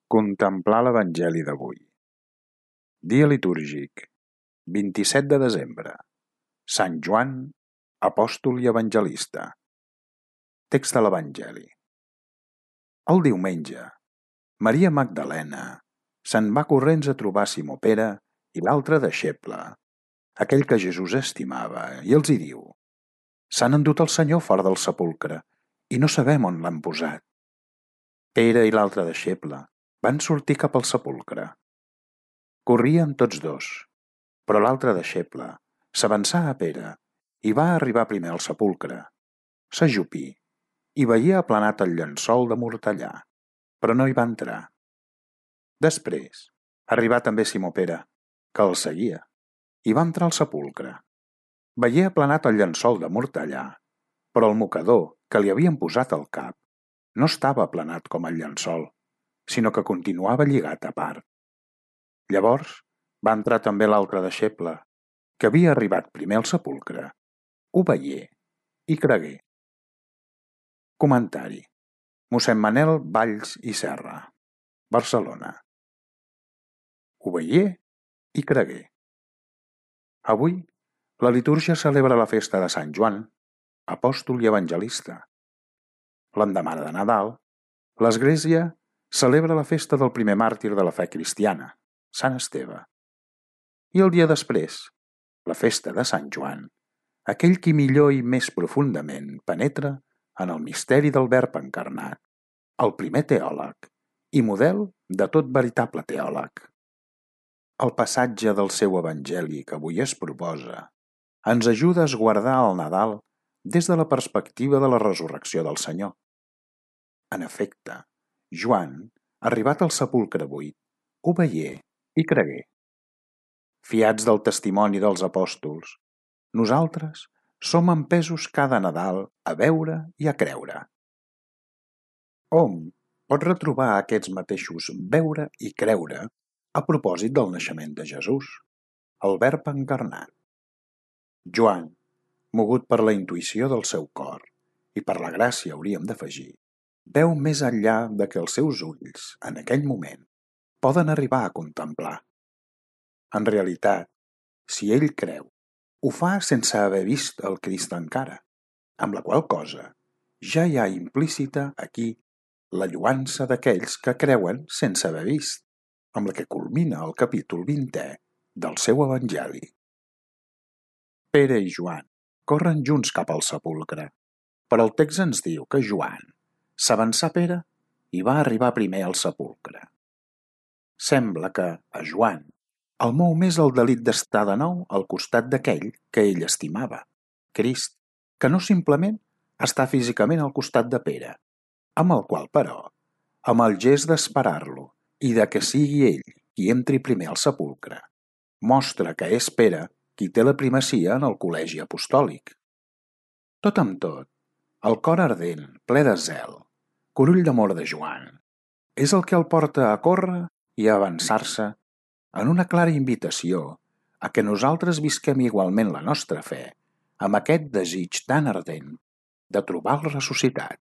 Contemplar l'Evangeli d'avui. Dia litúrgic, 27 de desembre. Sant Joan, apòstol i evangelista. Text de l'Evangeli. El diumenge, Maria Magdalena se'n va corrents a trobar Simó Pere i l'altre deixeble, aquell que Jesús estimava, i els hi diu: «S'han endut el Senyor fora del sepulcre i no sabem on l'han posat». Pere i l'altre deixeble van sortir cap al sepulcre. Corrien tots dos, però l'altre deixeble s'avançà a Pere i va arribar primer al sepulcre. S'ajupí i veié aplanat el llençol de mortellà, però no hi va entrar. Després arribà també Simó Pere, que el seguia, i va entrar al sepulcre. Veié aplanat el llençol de mortellà, però el mocador que li havien posat al cap no estava aplanat com el llençol, sinó que continuava lligat a part. Llavors va entrar també l'altre deixeble, que havia arribat primer al sepulcre, ho veié i cregué. Comentari: mossèn Manel Valls i Serra, Barcelona. Ho veié i cregué. Avui la litúrgia celebra la festa de Sant Joan, apòstol i evangelista. L'endemà de Nadal, l'Església celebra la festa del primer màrtir de la fe cristiana, Sant Esteve. I el dia després, la festa de Sant Joan, aquell qui millor i més profundament penetra en el misteri del Verb encarnat, el primer teòleg i model de tot veritable teòleg. El passatge del seu evangeli que avui es proposa ens ajuda a esguardar el Nadal des de la perspectiva de la resurrecció del Senyor. En efecte, Joan, arribat al sepulcre buit, ho veié i cregué. Fiats del testimoni dels apòstols, nosaltres som empesos cada Nadal a veure i a creure. Hom pot retrobar aquests mateixos veure i creure a propòsit del naixement de Jesús, el Verb encarnat. Joan, mogut per la intuïció del seu cor i per la gràcia, hauríem d'afegir, veu més enllà de que els seus ulls, en aquell moment, poden arribar a contemplar. En realitat, si ell creu, ho fa sense haver vist el Crist encara, amb la qual cosa ja hi ha implícita aquí la lloança d'aquells que creuen sense haver vist, amb la que culmina el capítol 20è del seu evangeli. Pere i Joan corren junts cap al sepulcre, però el text ens diu que Joan s'avançà a Pere i va arribar primer al sepulcre. Sembla que, a Joan, el mou més el delit d'estar de nou al costat d'aquell que ell estimava, Crist, que no simplement està físicament al costat de Pere, amb el qual, però, amb el gest d'esperar-lo i de que sigui ell qui entri primer al sepulcre, mostra que és Pere qui té la primacia en el col·legi apostòlic. Tot amb tot, el cor ardent, ple de zel, curull d'amor de Joan, és el que el porta a córrer i a avançar-se en una clara invitació a que nosaltres visquem igualment la nostra fe amb aquest desig tan ardent de trobar el ressuscitat.